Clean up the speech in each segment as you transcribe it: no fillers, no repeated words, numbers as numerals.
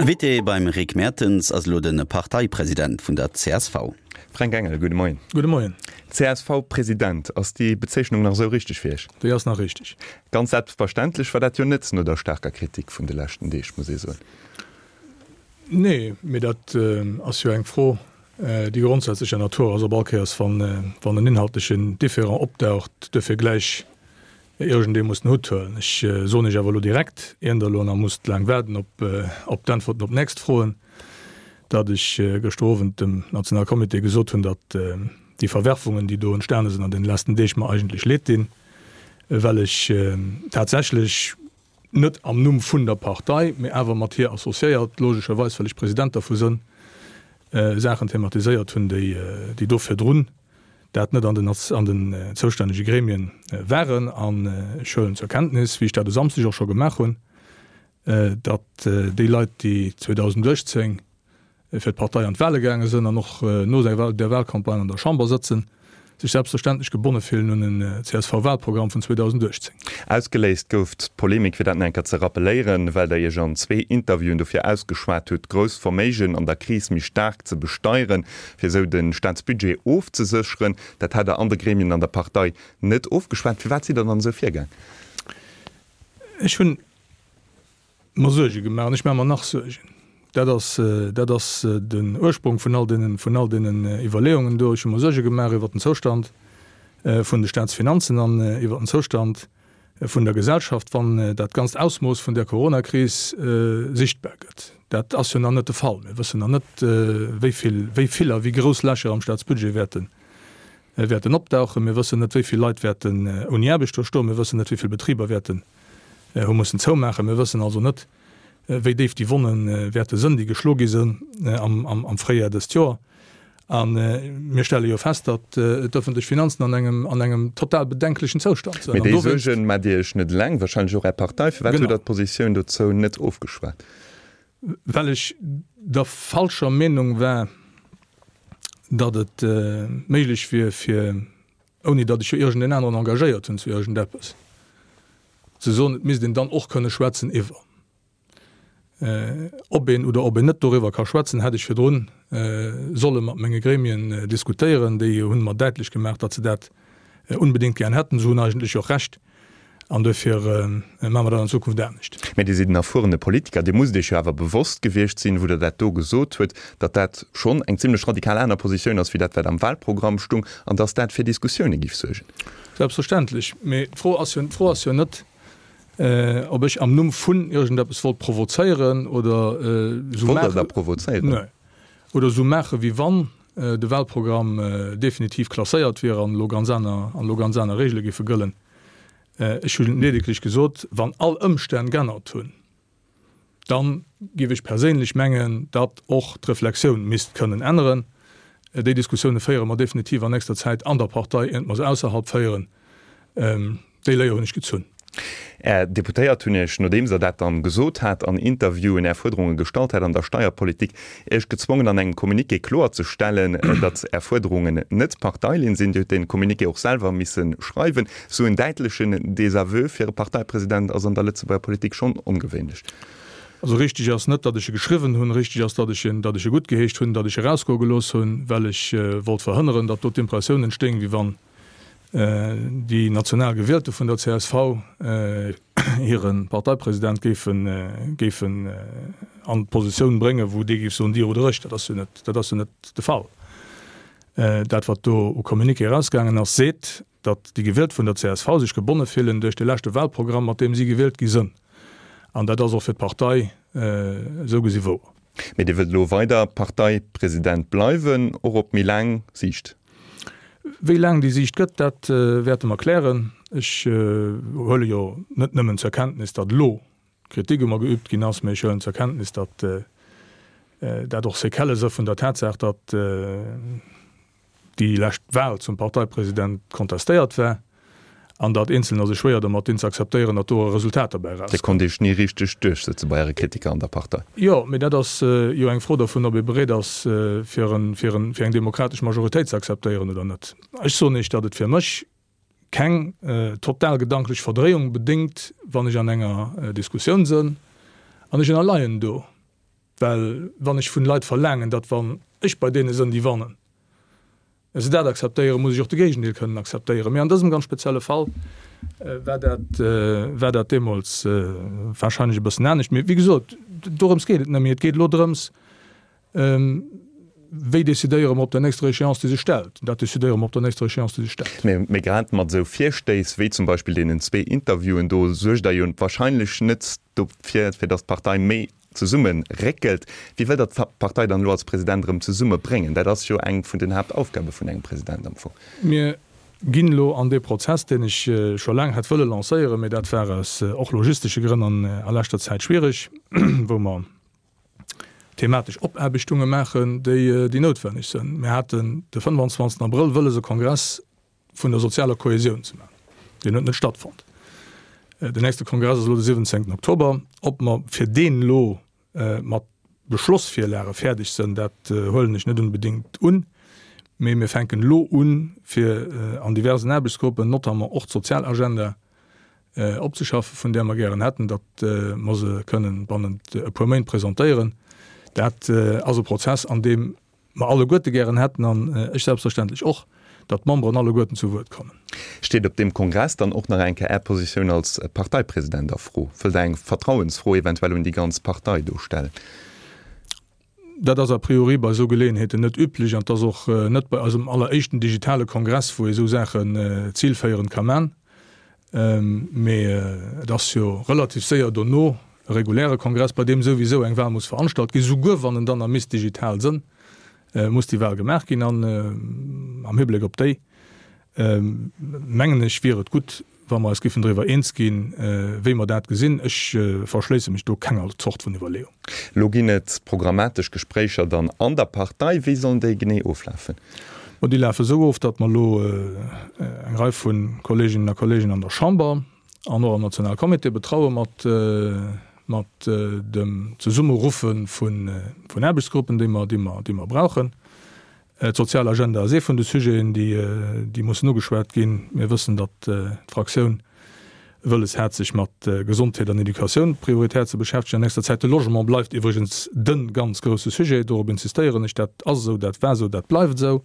Invité beim Rick Mertens ass elo de Parteipresident vun der csv. Fränk Engel, gudde Moien. Gudde Moien. CSV-President, ass déi Bezeechnung nach esou richteg fir Iech? Déi ass nach richteg. Ganz selbstverständlech war dat jo net no der staarker Kritik vun de leschten Deeg, muss ee soen. Nee, mee dat ass jo eng Fro, déi grondsätzlecher Natur ass, ob all Kéiers, wann en inhaltlechen Différend opdaucht, duerfir gläich iergendee muss den Hutt huelen. Ech soen Iech awer elo direkt, ier Der elo nach musst laang waarden op d'Äntwerten op d'nächst Froen, datt ech gëschter Owend dem Nationalcomité gesot hunn, datt déi Verwerfungen, déi do entstane sinn an deene letzten Deeg, mer eigentlech leed dinn, well ech tatsächlech, net am Numm vun der Partei, mee awer mat hir associéiert, logescherweis, well ech President dervu sënn, Saachen thematiséiert hunn, déi do virdrun dat net an den an den zoustännege Gremien waren. An ech huelen zur Kenntnis, wéi ech dat e Samsdeg och scho gemaach hunn, datt déi Leit, déi 2018 fir d'Partei an d'Wahle gaange sënn an och no der Wahlcampagne an der Chamber sëtzen, sech selbstverständlech gebonne fillen un en CSV-Wahlprogramm vun 2018. Ausgeléist gouf d'Polemik, fir dat nach eng Kéier ze rappeléieren, well Der Iech an zwee Interviewen dofir ausgeschwat hutt, grouss Verméigen an der Kris méi staark ze besteieren, fir esou de Staatsbudget ofzesécheren. Dat hat Der an de Gremien an der Partei net ofgeschwat. Firwat sidd Der dann esou virgaang? Ech hunn mer Suerge gemaach an ech maache mer nach Suergen. Dat ass, dat ass den Ursprong vun all deenen, vun all deenen Iwwerleeungen do. Ech hu mer Suerge gemaach iwwert den Zoustand vun de Staatsfinanzen an iwwert den Zoustand vun der Gesellschaft, wann dat ganzt Ausmooss vun där Coronakris sichtbar gëtt. Dat ass jo nach net de Fall. Mir wëssen nach net, wéi vill, wéi vill a wéi grouss Lächer am Staatsbudget wäerten, wäerten opdauchen. Mir wëssen net, wéi vill Leit wäerten ouni Aarbecht do stoen. Mir wëssen net, wéi vill Betriber wäerten hu mussen zoumaachen. Mir wëssen also net, wéi déif déi Wonne wäerte sënn, déi geschlo gi sënn am Fréijar dëst Joer. A mir stelle jo fest, datt d'ëffentlech Finanzen an engem, an engem total bedenklechen Zoustand sënn. Mee déi Suergen maacht Dir Iech net eleng, wahrscheinlech och Är Partei. Firwat hutt Der d'Positioun dozou net ofgeschwat? Well ech der falscher Meenung war, datt et méiglech wier, fir ouni datt ech jo iergendeen aneren engagéiert hunn zu iergendeppes, ze soen, et misst een dann och kënne schwätzen iwwer. Ob een oder ob een net doriwwer ka schwätzen, hätt ech virdrun solle mat menge Gremien diskutéieren. Déi hunn mer däitlech gemaach, datt se dat unbedéngt gären hätten. Se hunn eigentlech och Recht. An duerfir maache mer dat an Zukunft anescht. Mä Dir sidd en erfuerene Politiker. Dir musst Iech jo awer bewosst gewiescht sinn, wou Der dat do gesot huet, datt dat schonn eng zimlech radikal aner Positioun ass wéi dat, wat am Wahlprogramm stung, an datt dat fir Diskussioune giff suergen. Selbstverständlech. Mee d'Fro ass jo, d'Fro ass jo net, ob ech am Numm vun iergendeppes wollt provozéieren oder esou maachen. Wollt Der da provozéieren? Nee. Oder esou maachen, wéi wann de Wahlprogramm definitiv klasséiert wier an elo ganz aner, an elo ganz aner Regele géife gëllen. Ech hu ledeglech gesot, wann all Ëmstänn g'ännert hunn, da géif ech perséinlech mengen, datt och d'Reflexioun misst kënnen änneren. Déi Diskussioune féiere mer definitiv an nächster Zäit an der Partei, iert mer se ausserhalb féieren. Déi Léier hunn ech gezunn. Är Deputéiert hunn Iech, nodeems Der dat dann gesot hat, an Interviewen Är Fuerderunge gestallt hat an der Steierpolitik, Iech gezwongen an engem Communiqué kloerzestellen, datt Är Fuerderungen net Parteilinn sinn. Dir hutt dee Communiqué och selwer misse schreiwen. Esou en däitlechen Désaveu fir e Parteipresident ass an der Lëtzebuerger Politik schonn ongewéinlech. Also richteg ass net, datt ech e geschriwwen hunn. Richteg ass, datt ech en, datt ech e guttgeheescht hunn, datt ech e rausgoe gelooss hunn, well ech wollt verhënneren, datt do d'Impressioun entstéing, wéi wann déi national Gewielte vun der csv hire Parteipresident géifen, géifen an d'Positioun bréngen, wou dee géif soen, Dir oder ech. Dat ass jo net, dat ass jo net de Fall. Dat, wat do u Communiqué erausgaangen ass, seet, datt déi Gewielt vun der csv sech gebonne fillen duerch de leschte Wahlprogramm, mat deem si gewielt gi sënn. An dat ass och fir d'Partei esou gesi wouer. Mee Dir wëllt elo weider Parteipresident bleiwen, och op méi laang Siicht? Wéi laang déi Siicht gëtt, dat wäerte mer klären. Ech huele jo net nëmmen zur Kenntnis, datt elo Kritik u mer geübt ginn ass, mee ech huelen zur Kenntnis, datt dat och Séquellë si vun der Tatsaach, datt déi lescht Wahl zum Parteipresident kontestéiert war an datt Eenzelner sech schwéier domat dinn ze akzeptéieren, datt do e Resultat derbäi Dir erauskoum. konnt Iech ni richteg duerchsëtze bei Äre Kritiker an der Partei. Jo, mee dat ass jo eng Fro dovun, ob ee bereet ass, fir en, fir en, fir eng demokratesch Majoritéit ze akzeptéieren oder net. Ech soen Iech, datt et fir mech keng total gedanklech Verdréiung bedéngt, wann ech an enger Diskussioun sënn an ech ënnerleien do. Well wann ech vun Leit verlaangen, datt wann ech bei deene sënn, déi wannen, se dat akzeptéieren, muss ech och de Géigendeel kënnen akzeptéieren. Mee an dësem ganz spezielle Fall war dat, war dat deemools wahrscheinlech e bëssen anescht. Mee wéi gesot, dorëms geet et net méi. Et geet elo drëms, Wéi decidéiere mer op der nächster Échéance, déi sech stellt? Dat decidéiere mer op der nächster Échéance, déi sech stellt. Mee grad mat esou Virstéiss wéi zum Beispill deenen zwee Interviewen do suergt Der jo wahrscheinlech net dofir, fir datt d'Partei méi zesumme réckelt. Wéi wëllt Der d'Partei dann elo als President erëm zesumme bréngen? Dat ass jo eng vun den Haaptaufgabe vun engem President am Fong. Mir ginn elo an dee Prozess, deen ech scho laang hätt wëlle lancéieren, mee dat war aus och logistesche Grënn an a leschter Zäit schwierig, wou mer thematesch Opaarbechtunge maachen, déi déi noutwenneg sënn. Mir haten de 25. Abrëll wëlles e Kongress vun der sozialer Kohäsioun ze maachen. Deen huet net stattfonnt. Den nächste Kongress ass elo de 17. Oktober. Ob mer fir deen elo mat Beschlossvirlage fäerdeg sënn, dat huelen ech net unbedéngt un. Mee mir fänken elo un, fir an diversen Aarbechtsgruppen, notamment och d'Sozialagenda, opzeschaffen, vun där mer gären hätten, datt mer se kënnen bannent e puer Méint presentéieren. Dat ass e Prozess, an deem mer alleguerte gären hätten, an ech selbstverständlech och, datt d'Memberen alleguerten zu Wuert kommen. Steet op deem Kongress dann och nach eng Kéier Är Positioun als Parteipresident a Fro? Wëllt Der eng Vertrauensfro eventuell un déi ganz Partei do stellen? Dat ass a priori bei esou Geleeënheeten net üblech an et ass och net bei eisem alleréischten digitale Kongress, wou ee esou Saachen zilféierend ka man. Mee et ass jo relativ séier dono e reguläre Kongress, bei deem souwisou eng Wahl muss veranstalt ginn, souguer wann en dann a misst digital sënn, muss déi Wahl gemaach ginn. An am Hibléck op déi, mengen ech, wier et gutt, wa mer eis giffen driwwer eens ginn, wéi mer dat gesinn. Ech verschléisse mech do kenger Zort vun Iwwerleeung. Elo ginn et programmatesch Gespréicher dann an der Partei. Wéi sollen déi genee oflafen? Ma déi lafe esou of, datt mer elo eng Rei vu Kolleeginnen a Kolleegen an der Chamber an och am Nationalcomité betraue mat mat dem Zesummeruffe vun Aarbechtsgruppen, déi mer, déi mer, déi mer brauchen. D'sozial Agenda ass ee vun de Sujeten, déi mussen ugeschwat ginn. Mir wëssen, datt d'Fraktioun wëlles hat, sech mat Gesondheet an Educatioun prioritär ze beschäftegen an nächster Zäit. De Logement bleift iwwregens de ganz grousse Sujet, dorop insistéieren ech. Dat ass esou, dat war esou, dat bleift esou.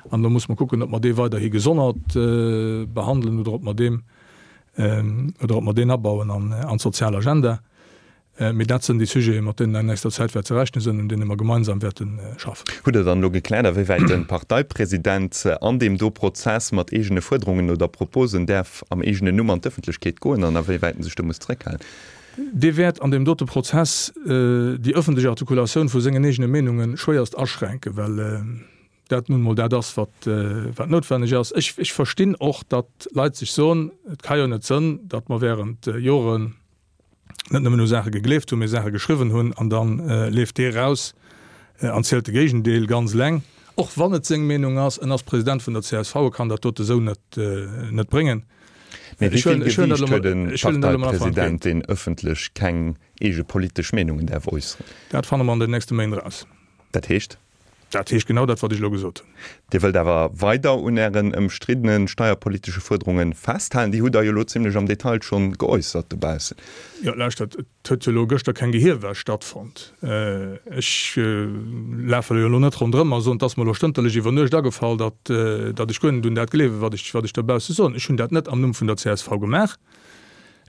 An elo musse mer kucken, ob mer dee weiderhi gesonnert behandelen oder ob mer deem, oder ob mer deen abauen an d'sozial Agenda. Mee dat sënn déi Sujeten, mat deenen an nächster Zäit wäert ze rechnen sënn, un deene mer gemeinsam wäerte schaffen. Hutt Der dann elo gekläert, awéiwäit de Parteipresident an deem do Prozess mat eegene Fuerderungen oder Proposen däerf am eegenen Numm an d'Ëffentlechkeet goen an awéiwäit en sech do muss zeréckhalen? Dee wäert an deem dote Prozess déi ëffentlech Artikulatioun vu sengen eegene Meenunge schwéierst aschränken, well dat nun emol dat ass, wat noutwenneg ass. Ech verstinn och, datt Leit sech soen, et ka jo net sënn, datt mer während Joren, net nëmmen u Saache gegleeft hunn, mee Saache geschriwwen hunn an da leeft dee raus an zielt de Géigendeel ganz eleng, och wann et seng Meenung ass. En ass President vun der csv, e kann dat dote sou net net bréngen. Mee wéi vill Gewiicht huet e Parteipresident, deen ëffentlech keng eege politesch Meenungen däerf äusseren? Dat fanne mer an den nächste Méint eraus. Dat heescht? Dat heescht genau dat, wat ech elo gesot hunn. Dir wëllt awer weider un Ären ëmstriddene steierpolitesche Fuerderunge festhalen. Déi hutt Der jo elo zimlech am Detail schonn geäussert dobaussen. Jo, lauschtert, et huet jo elo gëschter keng Gehierwäsch stattfonnt. Ech lafe jo elo net ronderëm a soen, et ass mer elo stënterlech iwwer Nuecht agefall, datt, datt ech guer net un dat gleewen, wat ech, wat ech dobausse soen. Ech hunn dat net am Numm vun der csv gemaach.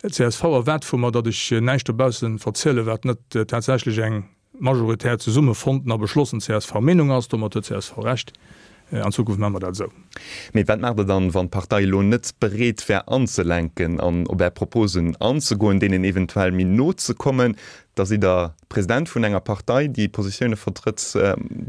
D'csv erwaart vu mer, datt ech näischt dobausse verzielen, wat net tatsächlech eng majoritär zesumme fonnten a beschlossen CSV-Meenung ass. Domat huet csv Recht. An Zukunft maache mer dat esou. Mee wat maacht Der dann, wann d'Partei elo net bereet wär anzelenken an op Är Proposen anzegoen, deenen eventuell méi no ze kommen? Da sidd Der President vun enger Partei, déi Positioune vertrëtt,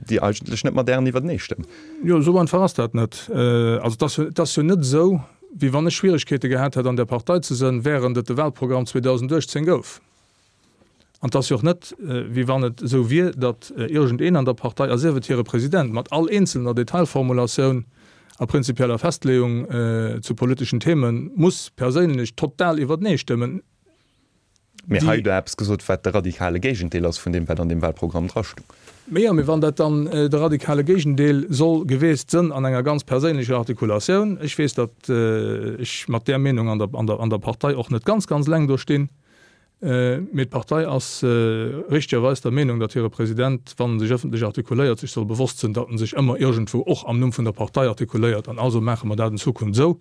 déi eigentlech net mat Ären iwwertenee stëmmen. Jo, esou einfach ass dat net. Also et ass jo, et ass jo net esou, wéi wann ech Schwieregkeete gehat hätt an där Partei ze sënn, während et de Wahlprogramm 2018 gouf. An et ass jo och net, wéi wann et esou wier, datt iergendeen an der Partei, a sief et hire President, mat all eenzelner Detailformulatioun a prinzipieller Festleeung zu politeschen Theme muss perséinlech total iwwertenee stëmmen. Mee hei hutt Der eppes gesot, wat de radikale Géigendeel ass vun deem, wat an deem Wahlprogramm drastoung. Mee jo, mee wann dat dann de radikale Géigendeel soll geweest sënn an enger ganz perséinlecher Artikulatioun, ech weess, datt ech mat där Meenung an der Partei och net ganz, ganz eleng do stinn. Mee d'Partei ass richtegerweis der Meenung, datt hire President, wann en sech ëffentlech artikuléiert, sech soll bewosst sënn, datt en sech ëmmer iergendwou och am Numm vun der Partei artikuléiert. An also maache mer dat an Zukunft esou,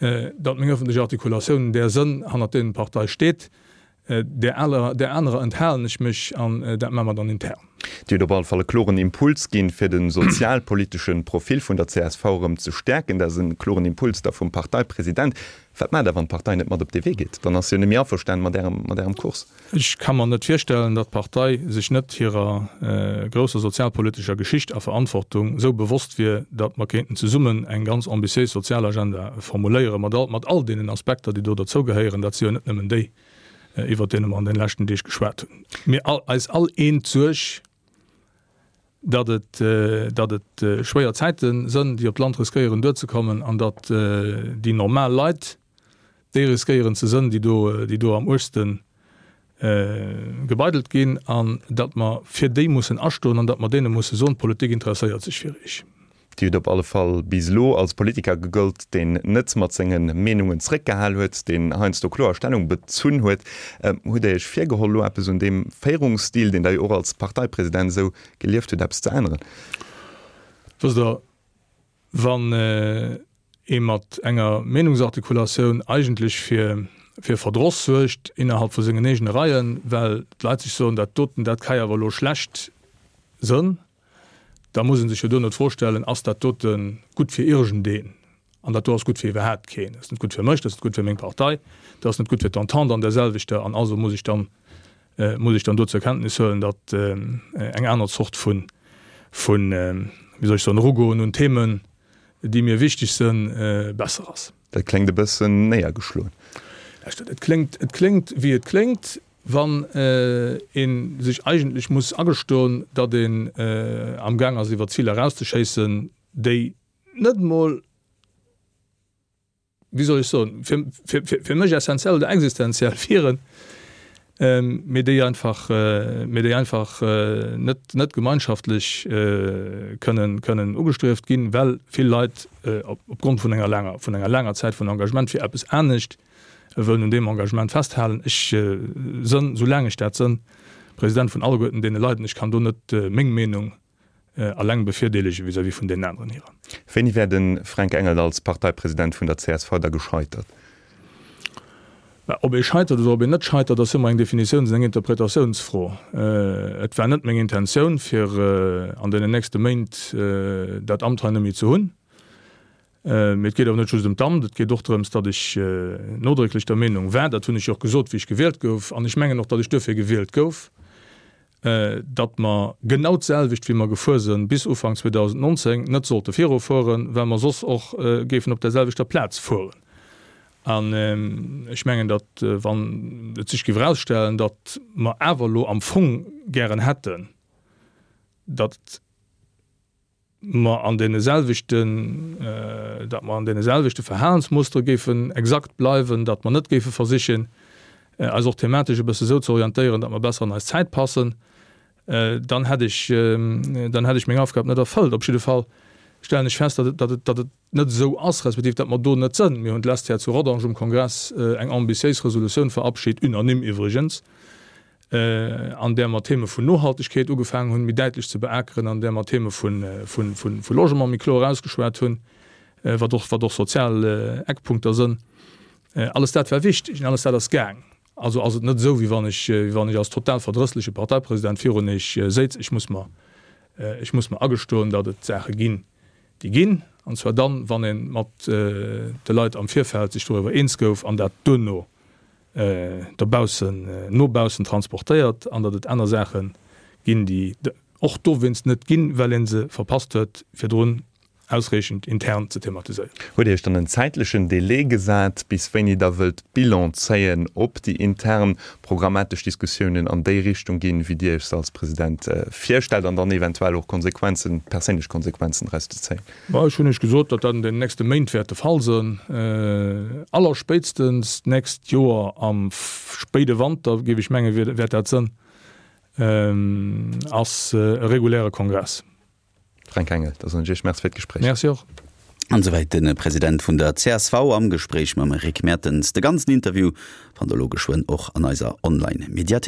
datt meng ëffentlech Artikulatiounen där sënn, hannert deenen d'Partei steet. Där anerer enthalen ech mech an dat maache mer dann intern. Dir hutt op alle Fall e kloren Impuls ginn, fir de sozialpolitesche Profil vun der csv erëm ze stäerken. Dat ass e kloren Impuls da vum Parteipresident. Wat maacht Der, wann d'Partei net mat op dee Wee geet? Dann ass se jo net méi averstanen mat Ärem, mat Ärem Kurs. Ech ka mer net virstellen, datt d'Partei sech net hirer grousser sozialpolitescher Geschicht a Verantwortung esou bewosst wier, datt mer kéinten zesummen eng ganz ambitiéis Sozialagenda formuléieren, mat all, mat all deenen Aspekter, déi do derzougehéieren. Dat si jo net nëmmen déi, iwwert deene mer an den leschten Deeg geschwat hunn. Mir all, eis all eent d'Suerg, datt et, datt et schwéier Zäite sënn, déi op d'Land riskéieren duerzekommen an datt déi normal Leit déi riskéieren ze sënn, déi do, déi do am uergste gebeidelt ginn an datt mer fir déi mussen astoen an datt mer deene musse soen, d'Politik interesséiert sech fir iech. Dir hutt op alle Fall bis elo als Politiker gegollt, deen net mat senge Meenungen zréckgehal huet, deen heiansdo kloer Stellung bezunn huet. Hutt Der Iech virgeholl, elo eppes un deem Féierungsstil, deen Der jo och als Parteipresident esou gelieft hutt, eppes ze änneren? Wësst Der, wann ee mat enger Meenungsartikulatioun eigentlech fir fir Verdross suergt innerhalb vu sengen eegene Reien, well d'Leit sech soen, dat doten, dat ka jo awer elo schlecht sënn, da muss ee sech jo duerno d'Fro stellen, Ass dat dote gutt fir iergendeen? An dat do ass gutt fir iwwerhaapt keen. Dat ass net gutt fir mech, dat ass net gutt fir meng Partei, dat ass net gutt fir d'Entente an där selwechter. An also muss ech dann, muss ech dann do zur Kenntnis huelen, datt eng aner Zort vun, vun, wéi soll ech soen, Erugoen un Themen, déi mir wichteg sënn, besser ass. Dat kléngt e bëssen néiergeschloen. Lauschtert, et kléngt, et kléngt wéi et kléngt. Wann ee sech eigentlech muss agestoen, datt een amgaang ass iwwer Ziler erauszeschéissen, déi net emol, wéi soll ech soen, fir mech essenziell oder existenziell wieren, mee déi einfach, mee déi einfach net, net gemeinschaftlech kënnen, kënnen ugestrieft ginn, well vill Leit opgrond vun enger laanger, vun enger laanger Zäit vun Engagement fir eppes anescht wëllen un deem Engagement festhalen. Ech sënn, soulaang ech dat sënn, President vun alleguerten deene Leit, an ech kann do net meng Meenung alleng bevirdeelege vis-à-vis vun deenen aneren hirer. Wéini wär de Fränk Engel als Parteipresident vun der csv da gescheitert? Mä ob ee scheitert oder ob een net scheitert, ass ëmmer eng Definitiouns an eng Interpretatiounsfro. Et war net meng Intentioun, fir an deenen nächste Méint dat Amt hei net méi ze hunn. Mee et geet awer net just ëm d'Amt, et geet och drëms, datt ech nodrécklech der Meenung war, dat hunn ech jo och gesot, wéi ech gewielt gouf, an ech mengen och, datt ech duerfir gewielt gouf, datt mer genau d'selwecht, wéi mer gefuer sënn bis Ufank 2019, net sollte virufueren, well mer soss och géifen op där selwechter Plaz fueren. An ech mengen, datt, wann et sech géif erausstellen, datt mer awer elo am Fong gären hätten, datt, mer an deene selwechten, datt mer an deene selwechte Verhalensmustere géifen exakt bleiwen, datt mer net géife versichen, eis och thematesch e bësse esou ze orientéieren, datt mer besser an eis Zäit passen, dann hätt ech, dann hätt ech meng Aufgab net erfëllt. Op jidde Fall stellen ech fest, datt et, datt et, datt et net esou ass, respektiv datt mer do net sënn. Mir hunn d'lescht Jar zu Rodange um Kongress eng ambitiéis Resolutioun verabschit, unanime iwwregens, an där mer Theme vun Nohaltegkeet ugefaangen hunn, méi däitlech ze beakeren, an där mer Theme vu Logement méi kloer ausgeschwat hunn, wat och, wat och sozial Eckpunkter sënn. Alles dat war wichteg an alles dat ass gaang. Also ass et net esou, wéi wann ech, wéi wann ech als total verdrëssleche Parteipresident virun Iech séiz. Ech muss mer, ech muss mer agestoen, datt et Saache ginn, déi ginn, an zwar dann, wann ee mat de Leit am Virfeld sech doriwwer eens gouf an dat duerno dobaussen, no baussen transportéiert an datt et aner Saache ginn, déi och dowéinst net ginn, well ee se verpasst huet, virdrun ausreechend intern ze thematiséieren. Hutt Dir Iech dann en zäitlechen Délai gesat, bis wéini Der wëllt Bilan zéien, ob déi intern programmatesch Diskussiounen an déi Richtung ginn, wéi Dir Iech se als President virstellt, an dann eventuell och Konsequenzen, perséinlech Konsequenzen draus ze zéien? Ma ech hunn Iech gesot, datt dat an den nächste Méint wäert de Fall sënn. Allerspéitstens d'nächst Joer am spéide Wanter, géif ech mengen, wäert dat sënn, ass e reguläre Kongress. Fränk Engel, da soen ech Iech Merci fir d'Gespréich. Merci och. An esouwäit de President vun der csv am Gespréich mam Rick Mertens. De ganzen Interview fannt der elo geschwënn och an eiser Online-Mediathéik.